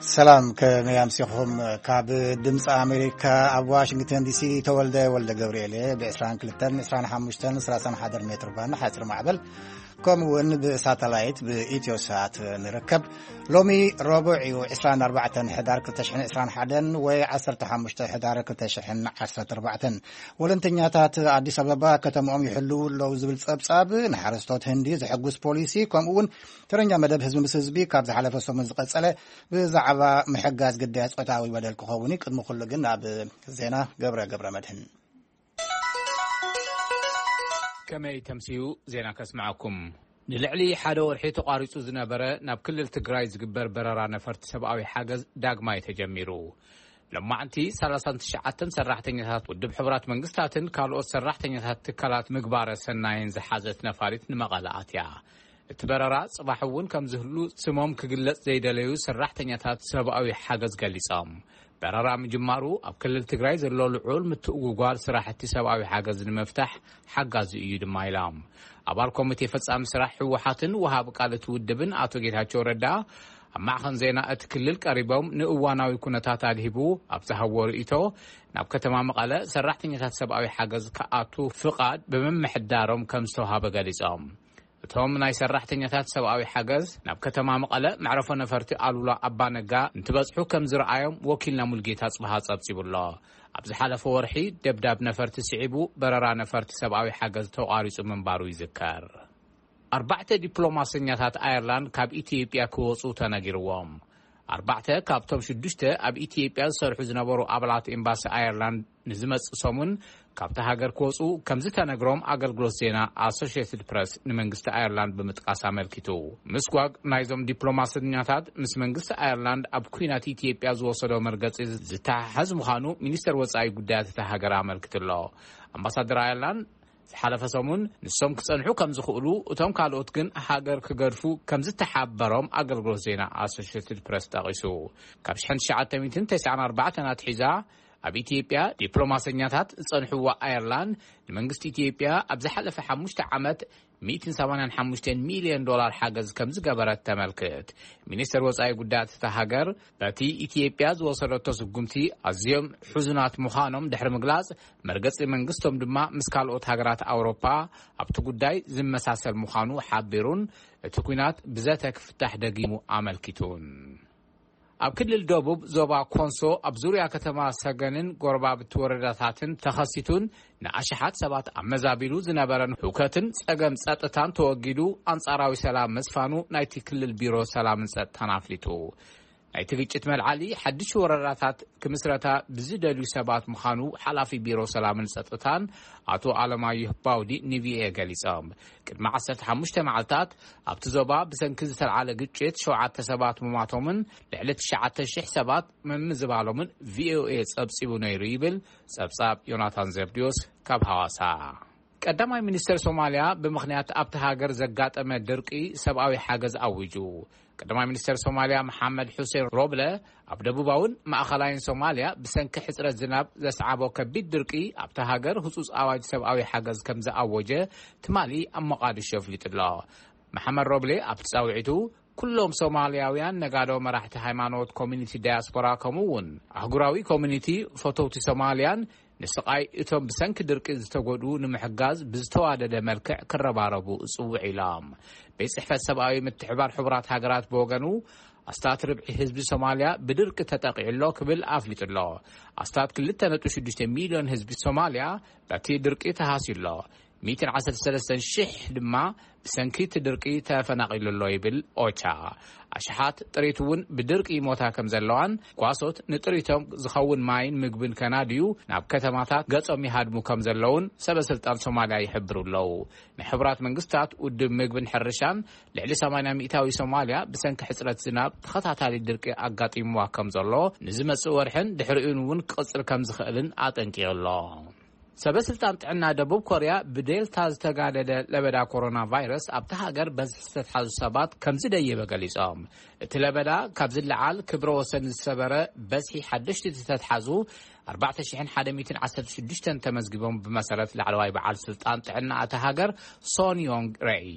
ሰላም፣ ከመይ ኣምሲኹም? ካብ ድምፂ ኣሜሪካ ኣብ ዋሽንግተን ዲሲ ተወልደ ወልደ ገብርኤል እየ። ብ22፣ 25፣ 31 ሜትር ባንድ ሓፂር ማዕበል፣ ከምኡ እውን ብሳተላይት ብኢትዮ ሳት ንርከብ። ሎሚ ረቡዕ እዩ፣ 24 ሕዳር 2021 ወይ 15 ሕዳር 2014። ወለንተኛታት ኣዲስ ኣበባ ከተማኦም ይሕልዉ ኣለዉ ዝብል ጸብጻብ፣ ንሓረስቶት ህንዲ ዝሕጉስ ፖሊሲ፣ ከምኡ እውን ተረኛ መደብ ህዝቢ ምስ ህዝቢ ካብ ዝሓለፈ ሰሙን ዝቐጸለ ብዛዕባ ምሕጋዝ ግዳያት ጾታዊ በደል ክኸውን እዩ። ቅድሚ ኩሉ ግን ኣብ ዜና ገብረ ገብረ መድህን። ከመይ ተምስዩ ዜና ከስምዓኩም። ንልዕሊ ሓደ ወርሒ ተቋሪጹ ዝነበረ ናብ ክልል ትግራይ ዝግበር በረራ ነፈርቲ ሰብኣዊ ሓገዝ ዳግማይ ተጀሚሩ። ሎማዕንቲ 39 ሰራሕተኛታት ውድብ ሕቡራት መንግስታትን ካልኦት ሰራሕተኛታት ትካላት ምግባረ ሰናይን ዝሓዘት ነፋሪት ንመቐለ ኣትያ። እቲ በረራ ጽባሕ እውን ከም ዝህሉ ስሞም ክግለጽ ዘይደለዩ ሰራሕተኛታት ሰብኣዊ ሓገዝ ገሊጾም። በረራ ምጅማሩ ኣብ ክልል ትግራይ ዘሎ ልዑል ምትእጉጓል ስራሕቲ ሰብኣዊ ሓገዝ ንምፍታሕ ሓጋዚ እዩ ድማ ኢሎም። ኣባል ኮሚቴ ፈጻሚ ስራሕ ህወሓትን ወሃቢ ቃል እቲ ውድብን ኣቶ ጌታቸው ረዳ ኣብ ማዕኸን ዜና እቲ ክልል ቀሪቦም ንእዋናዊ ኩነታት ኣድሂቡ ኣብ ዝሃብዎ ርእይቶ፣ ናብ ከተማ መቐለ ሰራሕተኛታት ሰብኣዊ ሓገዝ ክኣቱ ፍቓድ ብምምሕዳሮም ከም ዝተውሃበ ገሊጾም። እቶም ናይ ሰራሕተኛታት ሰብኣዊ ሓገዝ ናብ ከተማ መቐለ መዕረፎ ነፈርቲ ኣሉላ ኣባነጋ እንትበጽሑ ከም ዝረኣዮም ወኪልና ሙልጌታ ጽብሃ ጸብጺቡ ኣሎ። ኣብ ዝሓለፈ ወርሒ ደብዳብ ነፈርቲ ስዒቡ በረራ ነፈርቲ ሰብኣዊ ሓገዝ ተቋሪጹ ምንባሩ ይዝከር። ኣርባዕተ ዲፕሎማሰኛታት ኣየርላንድ ካብ ኢትዮጵያ ክወጹ ተነጊርዎም። ኣርባዕተ ካብቶም ሽዱሽተ ኣብ ኢትዮጵያ ዝሰርሑ ዝነበሩ ኣባላት ኤምባሲ ኣየርላንድ ንዝመጽእ ሰሙን ካብቲ ሃገር ክወጹ ከም ዝተነግሮም ኣገልግሎት ዜና ኣሶሽየትድ ፕረስ ንመንግስቲ ኣየርላንድ ብምጥቃስ ኣመልኪቱ። ምስጓግ ናይዞም ዲፕሎማሰኛታት ምስ መንግስቲ ኣየርላንድ ኣብ ኲናት ኢትዮጵያ ዝወሰዶ መርገጺ ዝተሓሓዝ ምዃኑ ሚኒስተር ወጻኢ ጉዳያት እታ ሃገር ኣመልኪቱ ኣሎ። ኣምባሳደር ኣየርላንድ ዝሓለፈ ሰሙን ንሶም ክጸንሑ ከም ዝኽእሉ፣ እቶም ካልኦት ግን ሃገር ክገድፉ ከም ዝተሓበሮም ኣገልግሎት ዜና ኣሶሽየትድ ፕረስ ጠቒሱ። ካብ 1994 ኣትሒዛ ኣብ ኢትዮጵያ ዲፕሎማሰኛታት ዝጸንሕዋ ኣየርላንድ፣ ንመንግስቲ ኢትዮጵያ ኣብ ዝሓለፈ ሓሙሽተ ዓመት 185 ሚልዮን ዶላር ሓገዝ ከም ዝገበረት ተመልክት። ሚኒስተር ወጻኢ ጉዳያት እታ ሃገር በቲ ኢትዮጵያ ዝወሰደቶ ስጉምቲ ኣዝዮም ሕዙናት ምዃኖም ድሕሪ ምግላጽ፣ መርገጺ መንግስቶም ድማ ምስ ካልኦት ሃገራት ኣውሮፓ ኣብቲ ጉዳይ ዝመሳሰል ምዃኑ ሓቢሩን፣ እቲ ኲናት ብዘተ ክፍታሕ ደጊሙ ኣመልኪቱን። ኣብ ክልል ደቡብ ዞባ ኮንሶ ኣብ ዙርያ ከተማ ሰገንን ጎረባብቲ ወረዳታትን ተኸሲቱን ንኣሽሓት ሰባት ኣመዛቢሉ ዝነበረን ህውከትን ጸገም ጸጥታን ተወጊዱ፣ ኣንጻራዊ ሰላም ምስፋኑ ናይቲ ክልል ቢሮ ሰላምን ጸጥታን ኣፍሊጡ። ናይቲ ግጭት መልዓሊ ሓድሽ ወረዳታት ክምስረታ ብዝደልዩ ሰባት ምዃኑ ሓላፊ ቢሮ ሰላምን ጸጥታን ኣቶ ኣለማየሁ ባውዲ ንቪኦኤ ገሊጾም። ቅድሚ 15 መዓልታት ኣብቲ ዞባ ብሰንኪ ዝተልዓለ ግጭት ሸውዓተ ሰባት ምማቶምን ልዕሊ 9,000 ሰባት ምምዝባሎምን ቪኦኤ ጸብጺቡ ነይሩ ይብል ጸብጻብ ዮናታን ዘብድዮስ ካብ ሃዋሳ። ቀዳማይ ሚኒስተር ሶማልያ ብምኽንያት ኣብቲ ሃገር ዘጋጠመ ድርቂ ሰብኣዊ ሓገዝ ኣዊጁ። ቀዳማይ ሚኒስተር ሶማልያ መሓመድ ሑሴን ሮብለ ኣብ ደቡባውን ማእኸላይን ሶማልያ ብሰንኪ ሕጽረት ዝናብ ዘስዓቦ ከቢድ ድርቂ ኣብቲ ሃገር ህጹጽ ኣዋጅ ሰብኣዊ ሓገዝ ከም ዝኣወጀ ትማሊ ኣብ ሞቃዲሾ ኣፍሊጡ ኣሎ። መሓመድ ሮብሌ ኣብቲ ጻውዒቱ፣ ኩሎም ሶማልያውያን ነጋዶ፣ መራሕቲ ሃይማኖት፣ ኮሚኒቲ ዳያስፖራ፣ ከምኡ እውን ኣህጉራዊ ኮሚኒቲ ፈተውቲ ሶማልያን ንስቓይ እቶም ብሰንኪ ድርቂ ዝተጎድኡ ንምሕጋዝ ብዝተዋደደ መልክዕ ክረባረቡ እጽውዕ ኢሎም። ቤት ጽሕፈት ሰብኣዊ ምትሕባር ሕቡራት ሃገራት ብወገኑ፣ ኣስታት ርብዒ ህዝቢ ሶማልያ ብድርቂ ተጠቒዑ ኣሎ ክብል ኣፍሊጡ ኣሎ። ኣስታት 2.6 ሚልዮን ህዝቢ ሶማልያ በቲ ድርቂ ተሃስዩ ኣሎ። 113,000 ድማ ብሰንኪ እቲ ድርቂ ተፈናቒሉ ኣሎ ይብል ኦቻ። ኣሽሓት ጥሪት እውን ብድርቂ ይሞታ ከም ዘለዋን፣ ጓሶት ንጥሪቶም ዝኸውን ማይን ምግብን ከናድዩ ናብ ከተማታት ገጾም ይሃድሙ ከም ዘለውን ሰበ ስልጣን ሶማልያ ይሕብሩ ኣለዉ። ናይ ሕቡራት መንግስታት ውድብ ምግብን ሕርሻን፣ ልዕሊ 80% ሶማልያ ብሰንኪ ሕጽረት ዝናብ ተኸታታሊ ድርቂ ኣጋጢምዋ ከም ዘሎ፣ ንዝመጽእ ወርሕን ድሕሪኡን እውን ክቕጽል ከም ዝኽእልን ኣጠንቂቑ ኣሎ። ሰበ ስልጣን ጥዕና ደቡብ ኮርያ ብዴልታ ዝተጋደደ ለበዳ ኮሮና ቫይረስ ኣብታ ሃገር በዝሒ ዝተትሓዙ ሰባት ከም ዝደየበ ገሊጾም። እቲ ለበዳ ካብ ዝለዓል ክብረ ወሰን ዝሰበረ በዝሒ ሓደሽቲ ዝተትሓዙ 4,116 ተመዝጊቦም፣ ብመሰረት ላዕለዋይ በዓል ስልጣን ጥዕና እታ ሃገር ሶን ዮንግ ረይ።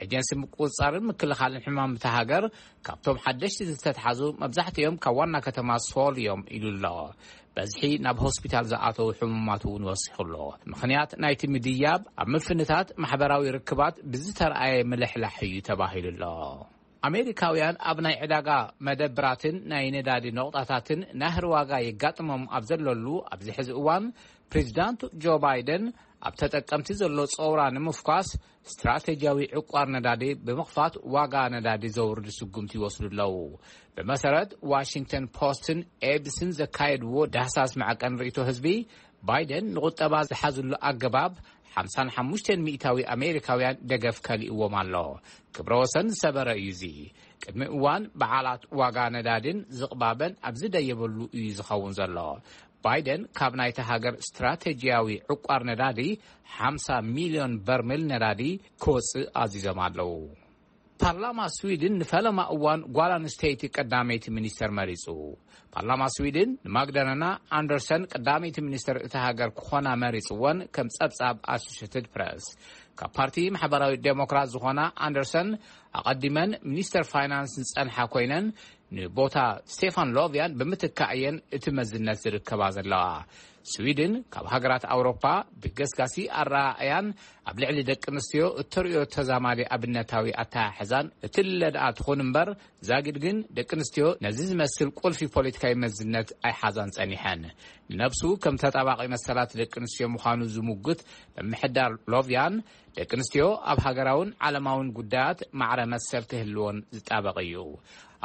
ኤጀንሲ ምቁጽጻርን ምክልኻልን ሕማም እታ ሃገር፣ ካብቶም ሓደሽቲ ዝተትሓዙ መብዛሕትኦም ካብ ዋና ከተማ ሶል እዮም ኢሉ ኣሎ። በዝሒ ናብ ሆስፒታል ዝኣተዉ ሕሙማት እውን ወሲኹ ኣሎ። ምኽንያት ናይቲ ምድያብ ኣብ ምፍንታት ማሕበራዊ ርክባት ብዝተረኣየ ምልሕላሕ እዩ ተባሂሉ ኣሎ። ኣሜሪካውያን ኣብ ናይ ዕዳጋ መደብራትን ናይ ነዳዲ ነቑጣታትን ናህሪ ዋጋ የጋጥሞም ኣብ ዘለሉ ኣብዚ ሕዚ እዋን፣ ፕሬዚዳንት ጆ ባይደን ኣብ ተጠቀምቲ ዘሎ ጸውራ ንምፍኳስ ስትራቴጂያዊ ዕቋር ነዳዲ ብምኽፋት ዋጋ ነዳዲ ዘውርድ ስጉምቲ ይወስዱ ኣለዉ። ብመሰረት ዋሽንግተን ፖስትን ኤቢሲን ዘካየድዎ ዳህሳስ መዐቀን ርእይቶ ህዝቢ፣ ባይደን ንቁጠባ ዝሓዝሉ ኣገባብ ሓምሳን ሓሙሽተን ሚእታዊ ኣሜሪካውያን ደገፍ ከሊእዎም ኣሎ። ክብረ ወሰን ዝሰበረ እዩ እዚ። ቅድሚ እዋን በዓላት ዋጋ ነዳድን ዝቕባበን ኣብ ዝደየበሉ እዩ ዝኸውን ዘሎ። ባይደን ካብ ናይቲ ሃገር ስትራቴጂያዊ ዕቋር ነዳዲ ሓምሳ ሚልዮን በርሜል ነዳዲ ክወጽእ ኣዚዞም ኣለዉ። ፓርላማ ስዊድን ንፈለማ እዋን ጓል ኣንስተይቲ ቀዳመይቲ ሚኒስተር መሪጹ። ፓርላማ ስዊድን ንማግዳለና ኣንደርሰን ቀዳመይቲ ሚኒስተር እታ ሃገር ክኾና መሪጽወን፣ ከም ጸብጻብ ኣሶሽትድ ፕረስ። ካብ ፓርቲ ማሕበራዊ ዴሞክራት ዝኾና ኣንደርሰን ኣቐዲመን ሚኒስተር ፋይናንስ ዝጸንሓ ኮይነን፣ ንቦታ ስቴፋን ሎቭያን ብምትካእ እየን እቲ መዝነት ዝርከባ ዘለዋ። ስዊድን ካብ ሃገራት ኣውሮፓ ብገስጋሲ ኣረኣእያን ኣብ ልዕሊ ደቂ ኣንስትዮ እተርእዮ ተዛማዲ ኣብነታዊ ኣተሓሕዛን እትልለ ደኣ ትኹን እምበር፣ ዛጊድ ግን ደቂ ኣንስትዮ ነዚ ዝመስል ቁልፊ ፖለቲካዊ መዝነት ኣይሓዛን ጸኒሐን። ንነብሱ ከም ተጣባቒ መሰላት ደቂ ኣንስትዮ ምዃኑ ዝምጉት ምምሕዳር ሎቭያን፣ ደቂ ኣንስትዮ ኣብ ሃገራውን ዓለማውን ጉዳያት ማዕረ መሰል ክህልዎን ዝጣበቕ እዩ።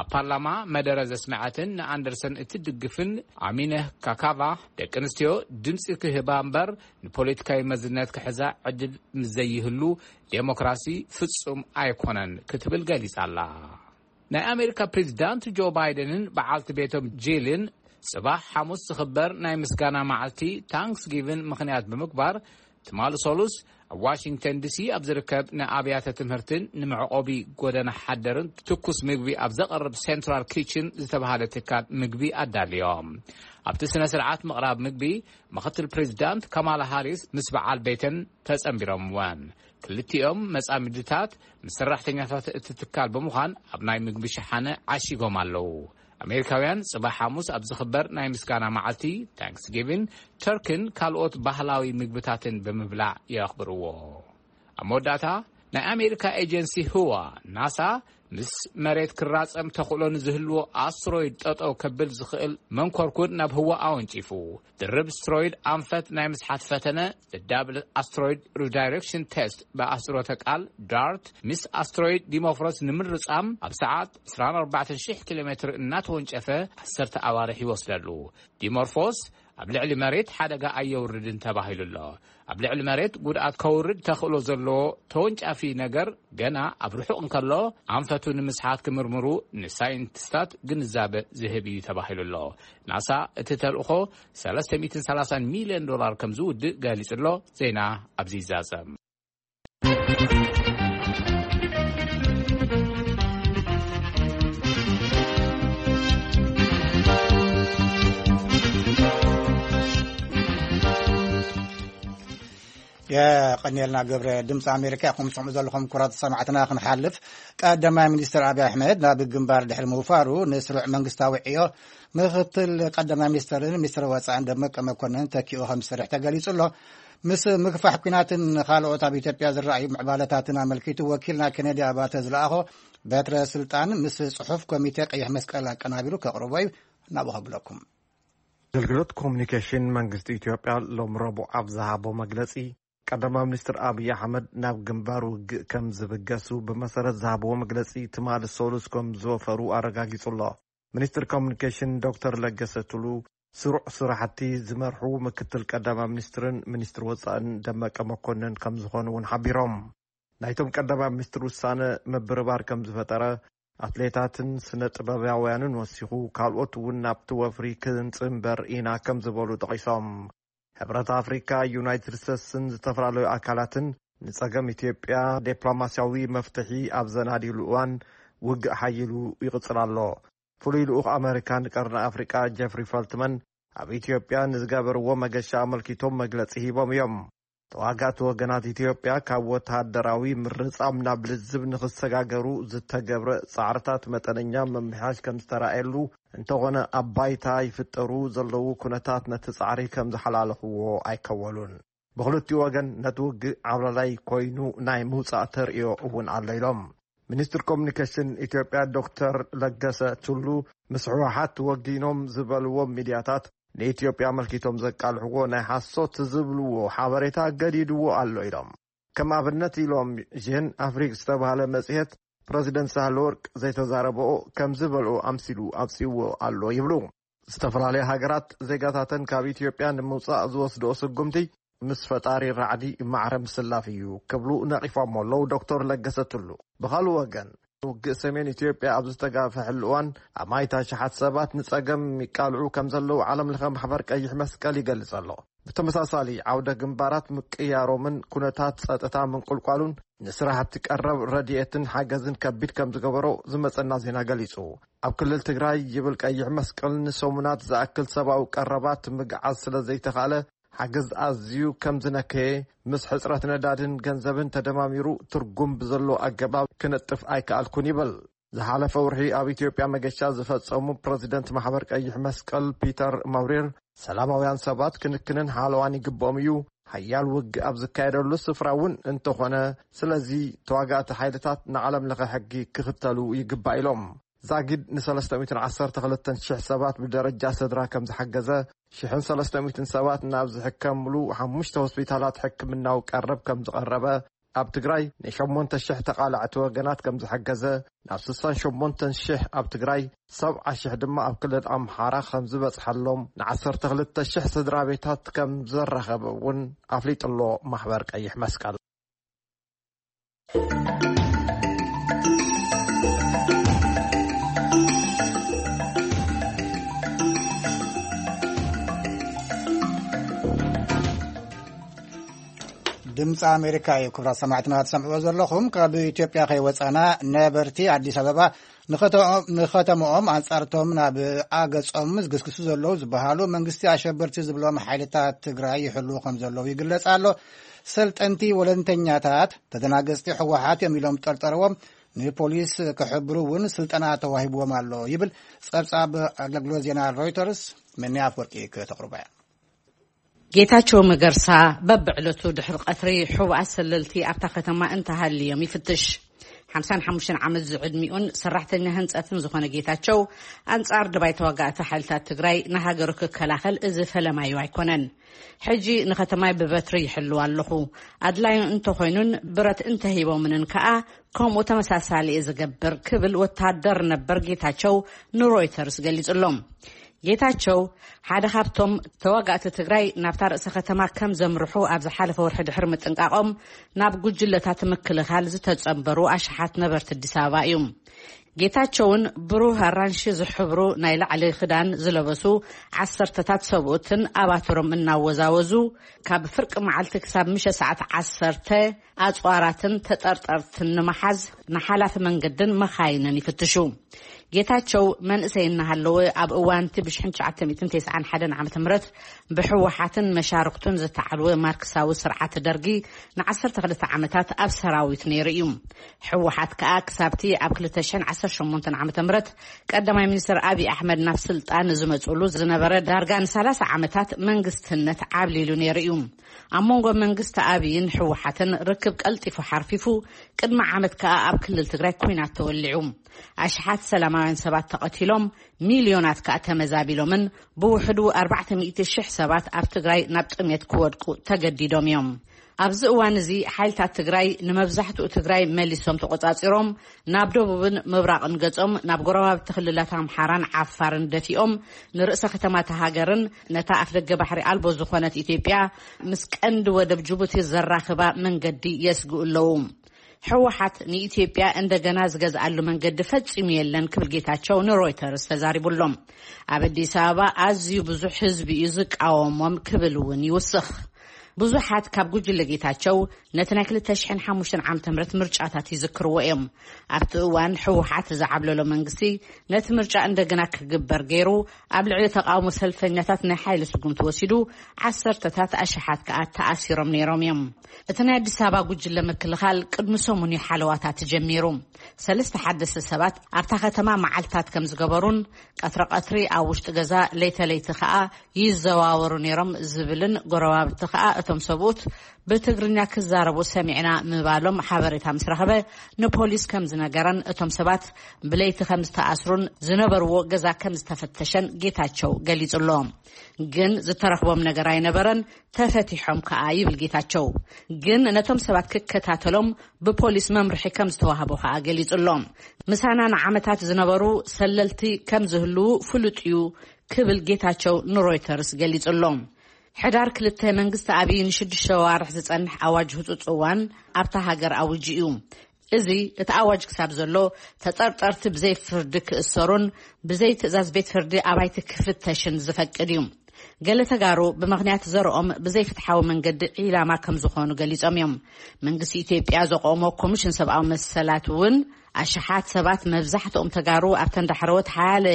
ኣብ ፓርላማ መደረ ዘስምዐትን ንኣንደርሰን እትድግፍን ኣሚነ ካካቫ፣ ደቂ ኣንስትዮ ድምፂ ክህባ እምበር ንፖለቲካዊ መዝነት ክሕዛ ዕድል ምስ ዘይህሉ፣ ዴሞክራሲ ፍጹም ኣይኮነን ክትብል ገሊጻ ኣላ። ናይ ኣሜሪካ ፕሬዚዳንት ጆ ባይደንን በዓልቲ ቤቶም ጂልን ጽባሕ ሓሙስ ዝኽበር ናይ ምስጋና መዓልቲ ታንክስጊቪን ምኽንያት ብምግባር፣ ትማሊ ሰሉስ ኣብ ዋሽንግተን ዲሲ ኣብ ዝርከብ ንኣብያተ ትምህርትን ንመዕቆቢ ጎደና ሓደርን ትኩስ ምግቢ ኣብ ዘቕርብ ሴንትራል ኪችን ዝተባህለ ትካል ምግቢ ኣዳልዮም። ኣብቲ ስነ ስርዓት ምቕራብ ምግቢ፣ ምኽትል ፕሬዚዳንት ካማላ ሃሪስ ምስ በዓል ቤተን ተጸንቢሮምወን። ክልቲኦም መጻምድታት ምስ ሰራሕተኛታት እቲ ትካል ብምዃን ኣብ ናይ ምግቢ ሸሓነ ዓሺጎም ኣለዉ። ኣሜሪካውያን ጽባሕ ሓሙስ ኣብ ዝኽበር ናይ ምስጋና መዓልቲ ታንክስጊቪን፣ ተርክን ካልኦት ባህላዊ ምግብታትን ብምብላዕ የኽብርዎ። ኣብ መወዳእታ፣ ናይ ኣሜሪካ ኤጀንሲ ህዋ፣ ናሳ፣ ምስ መሬት ክራጸም ተኽእሎ ንዝህልዎ ኣስትሮይድ ጠጠው ከብል ዝኽእል መንኮርኩር ናብ ህዋ ኣወንጪፉ። ድርብ ኣስትሮይድ ኣንፈት ናይ ምስሓት ፈተነ፣ ዳብል ኣስትሮይድ ሪዳይሬክሽን ቴስት፣ ብኣህጽሮተ ቃል ዳርት፣ ምስ ኣስትሮይድ ዲሞፍሮስ ንምርጻም ኣብ ሰዓት ዕስራን ኣርባዕተን ሽሕ ኪሎ ሜትር እናተወንጨፈ ዓሰርተ ኣዋርሕ ይወስደሉ። ዲሞርፎስ ኣብ ልዕሊ መሬት ሓደጋ ኣየውርድን ተባሂሉ ኣሎ። ኣብ ልዕሊ መሬት ጉድኣት ከውርድ ተኽእሎ ዘለዎ ተወንጫፊ ነገር ገና ኣብ ርሑቕ እንከሎ፣ ኣንፈቱ ንምስሓት ክምርምሩ ንሳይንቲስታት ግንዛበ ዝህብ እዩ ተባሂሉ ኣሎ። ናሳ እቲ ተልእኾ ሰለስተ ሚእትን ሰላሳን ሚልዮን ዶላር ከም ዝውድእ ገሊጹ ኣሎ። ዜና ኣብዚ ይዛዘም። የቐንየልና ገብረ። ድምፂ ኣሜሪካ ኢኹም ትሰምዑ ዘለኹም። ክቡራት ሰማዕትና፣ ክንሓልፍ፣ ቀዳማይ ሚኒስትር ኣብይ ኣሕመድ ናብ ግንባር ድሕሪ ምውፋሩ፣ ንስሩዕ መንግስታዊ ዕዮ ምክትል ቀዳማይ ሚኒስትርን ሚኒስትር ወፃእን ደመቀ መኮንን ተኪኡ ከም ዝሰርሕ ተገሊጹ ኣሎ። ምስ ምግፋሕ ኲናትን ካልኦት ኣብ ኢትዮጵያ ዝረኣዩ ምዕባለታትን ኣመልኪቱ፣ ወኪልና ኬነዲ ኣባተ ዝለኣኾ በትረ ስልጣን ምስ ጽሑፍ ኮሚቴ ቀይሕ መስቀል ኣቀናቢሩ ከቕርቦ እዩ። ናብኡ ከብለኩም። ኣገልግሎት ኮሙኒኬሽን መንግስቲ ኢትዮጵያ ሎም ረቡዕ ኣብ ዝሃቦ መግለጺ፣ ቀዳማይ ሚኒስትር ኣብይ ኣሕመድ ናብ ግንባር ውግእ ከም ዝብገሱ ብመሰረት ዝሃብዎ መግለጺ፣ ትማሊ ሰሉስ ከም ዝወፈሩ ኣረጋጊጹ ኣሎ። ሚኒስትር ኮሙኒኬሽን ዶክተር ለገሰ ቱሉ፣ ስሩዕ ስራሕቲ ዝመርሑ ምክትል ቀዳማይ ሚኒስትርን ሚኒስትር ወጻእን ደመቀ መኮንን ከም ዝኾኑ እውን ሓቢሮም። ናይቶም ቀዳማይ ሚኒስትር ውሳነ ምብርባር ከም ዝፈጠረ፣ ኣትሌታትን ስነ ጥበባውያንን ወሲኹ፣ ካልኦት እውን ናብቲ ወፍሪ ክንጽንበር ኢና ከም ዝበሉ ጠቒሶም። ሕብረት ኣፍሪካ፣ ዩናይትድ ስቴትስን ዝተፈላለዩ ኣካላትን ንጸገም ኢትዮጵያ ዲፕሎማስያዊ መፍትሒ ኣብ ዘናድይሉ እዋን፣ ውግእ ሓይሉ ይቕጽል ኣሎ። ፍሉይ ልኡኽ ኣመሪካ ንቀርኒ ኣፍሪቃ ጀፍሪ ፈልትመን ኣብ ኢትዮጵያ ንዝገበርዎ መገሻ ኣመልኪቶም መግለጺ ሂቦም እዮም። ተዋጋእቲ ወገናት ኢትዮጵያ ካብ ወተሃደራዊ ምርጻም ናብ ልዝብ ንኽሰጋገሩ ዝተገብረ ጻዕርታት መጠነኛ ምምሕያሽ ከም ዝተራእየሉ፣ እንተኾነ ኣብ ባይታ ይፍጠሩ ዘለዉ ኩነታት ነቲ ጻዕሪ ከም ዝሓላለኽዎ ኣይከወሉን። ብኽልቲኡ ወገን ነቲ ውግእ ዓብላላይ ኮይኑ ናይ ምውጻእ ተርእዮ እውን ኣሎ ኢሎም። ሚኒስትር ኮሚኒኬሽን ኢትዮጵያ ዶክተር ለገሰ ቱሉ፣ ምስ ህወሓት ወጊኖም ዝበልዎም ሚድያታት ንኢትዮጵያ ኣመልኪቶም ዘቃልሕዎ ናይ ሓሶት ዝብልዎ ሓበሬታ ገዲድዎ ኣሎ ኢሎም። ከም ኣብነት ኢሎም፣ ዥን ኣፍሪክ ዝተባህለ መጽሔት ፕረዚደንት ሳህለወርቅ ዘይተዛረበኦ ከም ዝበልኦ ኣምሲሉ ኣውጺእዎ ኣሎ ይብሉ። ዝተፈላለያ ሃገራት ዜጋታተን ካብ ኢትዮጵያ ንምውጻእ ዝወስድኦ ስጉምቲ ምስ ፈጣሪ ራዕዲ ማዕረ ምስላፍ እዩ ክብሉ ነቒፎሞ ኣለዉ ዶክተር ለገሰ ቱሉ። ብኻልእ ወገን፣ ውግእ ሰሜን ኢትዮጵያ ኣብ ዝተጋፈሐሉ እዋን ኣብ ማይታ ሸሓት ሰባት ንጸገም ይቃልዑ ከም ዘለዉ ዓለም ለኸ ማሕበር ቀይሕ መስቀል ይገልጽ ኣሎ። ብተመሳሳሊ፣ ዓውደ ግንባራት ምቅያሮምን ኩነታት ጸጥታ ምንቁልቋሉን ንስራሕቲ ቀረብ ረድኤትን ሓገዝን ከቢድ ከም ዝገበሮ ዝመጸና ዜና ገሊጹ። ኣብ ክልል ትግራይ ይብል ቀይሕ መስቀል፣ ንሰሙናት ዝኣክል ሰብኣዊ ቀረባት ምግዓዝ ስለ ዘይተኻለ፣ ሓገዝ ኣዝዩ ከም ዝነከየ፣ ምስ ሕጽረት ነዳድን ገንዘብን ተደማሚሩ ትርጉም ብዘሎ ኣገባብ ክነጥፍ ኣይከኣልኩን ይብል። ዝሓለፈ ወርሒ ኣብ ኢትዮጵያ መገሻ ዝፈጸሙ ፕረዚደንት ማሕበር ቀይሕ መስቀል ፒተር ማውሬር፣ ሰላማውያን ሰባት ክንክንን ሓለዋን ይግብኦም እዩ፣ ሓያል ውግእ ኣብ ዝካየደሉ ስፍራ እውን እንተኾነ፣ ስለዚ ተዋጋእቲ ሓይልታት ንዓለም ለኸ ሕጊ ክኽተሉ ይግባእ ኢሎም። ዛጊድ ን ሰለስተ ሚእትን ዓሰርተ ክልተን ሽሕ ሰባት ብደረጃ ስድራ ከም ዝሓገዘ፣ ሽሕን ሰለስተ ሚእትን ሰባት ናብ ዝሕከምሉ ሓሙሽተ ሆስፒታላት ሕክምናዊ ቀረብ ከም ዝቐረበ፣ ኣብ ትግራይ ንሸሞንተ ሽሕ ተቓላዕቲ ወገናት ከም ዝሓገዘ፣ ናብ ስሳን ሸሞንተን ሽሕ ኣብ ትግራይ፣ ሰብዓ ሽሕ ድማ ኣብ ክልል ኣምሓራ ከም ዝበጽሐሎም፣ ን ዓሰርተ ክልተ ሽሕ ስድራ ቤታት ከም ዘራኸበ እውን ኣፍሊጡ ኣሎ ማሕበር ቀይሕ መስቀል። ድምፂ ኣሜሪካ እዩ። ክቡራት ሰማዕትና ትሰምዕዎ ዘለኹም፣ ካብ ኢትዮጵያ ከይወፃና፣ ነበርቲ ኣዲስ ኣበባ ንኸተ-፣ ንኸተምኦም ኣንፃርቶም ናብ ኣገፆም ዝግስግሱ ዘለዉ ዝበሃሉ መንግስቲ ኣሸበርቲ ዝብሎም ሓይልታት ትግራይ ይሕልዉ ከም ዘለዉ ይግለፅ ኣሎ። ሰልጠንቲ ወለንተኛታት ተደናገፅቲ ህወሓት እዮም ኢሎም ጠርጠርዎም ንፖሊስ ክሕብሩ እውን ስልጠና ተዋሂብዎም ኣሎ ይብል ፀብፃብ ኣገልግሎት ዜና ሮይተርስ። መኒ ኣፍወርቂ ከተቕርቦ እያ። ጌታቸው መገርሳ በብዕለቱ ድሕሪ ቀትሪ ሕቡኣት ሰለልቲ ኣብታ ከተማ እንተሃልዮም ይፍትሽ። ሓምሳን ሓሙሽተን ዓመት ዝዕድሚኡን ሰራሕተኛ ህንፀትን ዝኾነ ጌታቸው፣ ኣንጻር ድባይ ተዋጋእቲ ሓይልታት ትግራይ ንሃገሩ ክከላኸል እዚ ፈለማዩ ኣይኮነን። ሕጂ ንከተማይ ብበትሪ ይሕልው ኣለኹ። ኣድላዩ እንተኾይኑን ብረት እንተሂቦምንን ከኣ ከምኡ ተመሳሳሊ እየ ዝገብር ክብል ወታደር ነበር ጌታቸው ንሮይተርስ ገሊጹ ኣሎ። ጌታቸው ሓደ ካብቶም ተዋጋእቲ ትግራይ ናብታ ርእሰ ከተማ ከም ዘምርሑ ኣብ ዝሓለፈ ወርሒ ድሕሪ ምጥንቃቖም ናብ ጉጅለታት ምክልኻል ዝተጸንበሩ ኣሽሓት ነበርቲ ኣዲስ ኣበባ እዩ። ጌታቸውን ብሩህ ኣራንሺ ዝሕብሩ ናይ ላዕሊ ክዳን ዝለበሱ ዓሰርተታት ሰብኡትን ኣባትሮም እናወዛወዙ ካብ ፍርቂ መዓልቲ ክሳብ ምሸ ሰዓት ዓሰርተ ኣጽዋራትን ተጠርጠርትን ንምሓዝ ንሓላፊ መንገድን መኻይንን ይፍትሹ። ጌታቸው መንእሰይ እናሃለወ ኣብ እዋንቲ ብሽሕን ትሽዓተ ሚእትን ተስዓን ሓደን ዓመተ ምህረት ብህወሓትን መሻርክቱን ዝተዓልወ ማርክሳዊ ስርዓት ደርጊ ንዓሰርተ ክልተ ዓመታት ኣብ ሰራዊት ነይሩ እዩ። ህወሓት ከኣ ክሳብቲ ኣብ ክልተ ሽሕን ዓሰርተ ሸሞንተን ዓመተ ምህረት ቀዳማይ ሚኒስትር ኣብይ ኣሕመድ ናብ ስልጣን ዝመጽሉ ዝነበረ ዳርጋ ንሰላሳ ዓመታት መንግስትነት ዓብሊሉ ነይሩ እዩ። ኣብ መንጎ መንግስቲ ኣብይን ህወሓትን ርክብ ቀልጢፉ ሓርፊፉ፣ ቅድሚ ዓመት ከኣ ኣብ ክልል ትግራይ ኲናት ተወሊዑ። ኣሽሓት ሰላማውያን ሰባት ተቐቲሎም፣ ሚልዮናት ከኣ ተመዛቢሎምን ብውሕዱ ኣርባዕተ ሚእቲ ሽሕ ሰባት ኣብ ትግራይ ናብ ጥሜት ክወድቁ ተገዲዶም እዮም። ኣብዚ እዋን እዚ ሓይልታት ትግራይ ንመብዛሕትኡ ትግራይ መሊሶም ተቖጻጺሮም፣ ናብ ደቡብን ምብራቕን ገጾም ናብ ጎረባብቲ ክልላት ኣምሓራን ዓፋርን ደፊኦም፣ ንርእሰ ከተማታ ሃገርን ነታ ኣፍደገ ባሕሪ ኣልቦ ዝኾነት ኢትዮጵያ ምስ ቀንዲ ወደብ ጅቡቲ ዘራኽባ መንገዲ የስግኡ ኣለዉ። ህወሓት ንኢትዮጵያ እንደገና ዝገዝኣሉ መንገዲ ፈጺሙ የለን ክብል ጌታቸው ንሮይተርስ ተዛሪቡ ኣሎ። ኣብ ኣዲስ ኣበባ ኣዝዩ ብዙሕ ህዝቢ እዩ ዝቃወሞም ክብል እውን ይውስኽ። ብዙሓት ካብ ጉጅለ ጌታቸው ነቲ ናይ ክልተ ሽሕን ሓሙሽተን ዓመተ ምህረት ምርጫታት ይዝክርዎ እዮም። ኣብቲ እዋን ህወሓት ዝዓብለሎ መንግስቲ ነቲ ምርጫ እንደገና ክግበር ገይሩ፣ ኣብ ልዕሊ ተቃውሞ ሰልፈኛታት ናይ ሓይሊ ስጉምቲ ወሲዱ፣ ዓሰርተታት ኣሽሓት ከኣ ተኣሲሮም ነይሮም እዮም። እቲ ናይ ኣዲስ ኣበባ ጉጅለ ምክልኻል ቅድሚ ሰሙን እዩ ሓለዋታት ጀሚሩ። ሰለስተ ሓደስቲ ሰባት ኣብታ ከተማ መዓልታት ከም ዝገበሩን ቀትሪ ቀትሪ ኣብ ውሽጢ ገዛ ለይተ ለይቲ ከኣ ይዘዋወሩ ነይሮም ዝብልን ጎረባብቲ ከኣ እቶም ሰብኡት ብትግርኛ ክዛረቡ ሰሚዕና ምባሎም ሓበሬታ ምስ ረኸበ ንፖሊስ ከም ዝነገረን እቶም ሰባት ብለይቲ ከም ዝተኣስሩን ዝነበርዎ ገዛ ከም ዝተፈተሸን ጌታቸው ገሊጹ ኣሎ። ግን ዝተረኽቦም ነገር ኣይነበረን፣ ተፈቲሖም ከኣ ይብል ጌታቸው። ግን ነቶም ሰባት ክከታተሎም ብፖሊስ መምርሒ ከም ዝተዋህቦ ከኣ ገሊጹ ኣሎ። ምሳና ንዓመታት ዝነበሩ ሰለልቲ ከም ዝህልዉ ፍሉጥ እዩ ክብል ጌታቸው ንሮይተርስ ገሊጹ ኣሎ። ሕዳር ክልተ መንግስቲ ኣብይ ንሽዱሽተ ዋርሕ ዝጸንሕ ኣዋጅ ህጹጽ እዋን ኣብታ ሃገር ኣውጁ እዩ። እዚ እቲ ኣዋጅ ክሳብ ዘሎ ተጠርጠርቲ ብዘይ ፍርዲ ክእሰሩን ብዘይ ትእዛዝ ቤት ፍርዲ ኣባይቲ ክፍተሽን ዝፈቅድ እዩ። ገለ ተጋሩ ብምኽንያት ዘርኦም ብዘይፍትሓዊ መንገዲ ዒላማ ከም ዝኾኑ ገሊጾም እዮም። መንግስቲ ኢትዮጵያ ዘቆሞ ኮሚሽን ሰብኣዊ መሰላት እውን ኣሽሓት ሰባት፣ መብዛሕትኦም ተጋሩ፣ ኣብተን ዳሕረዎት ሓያለ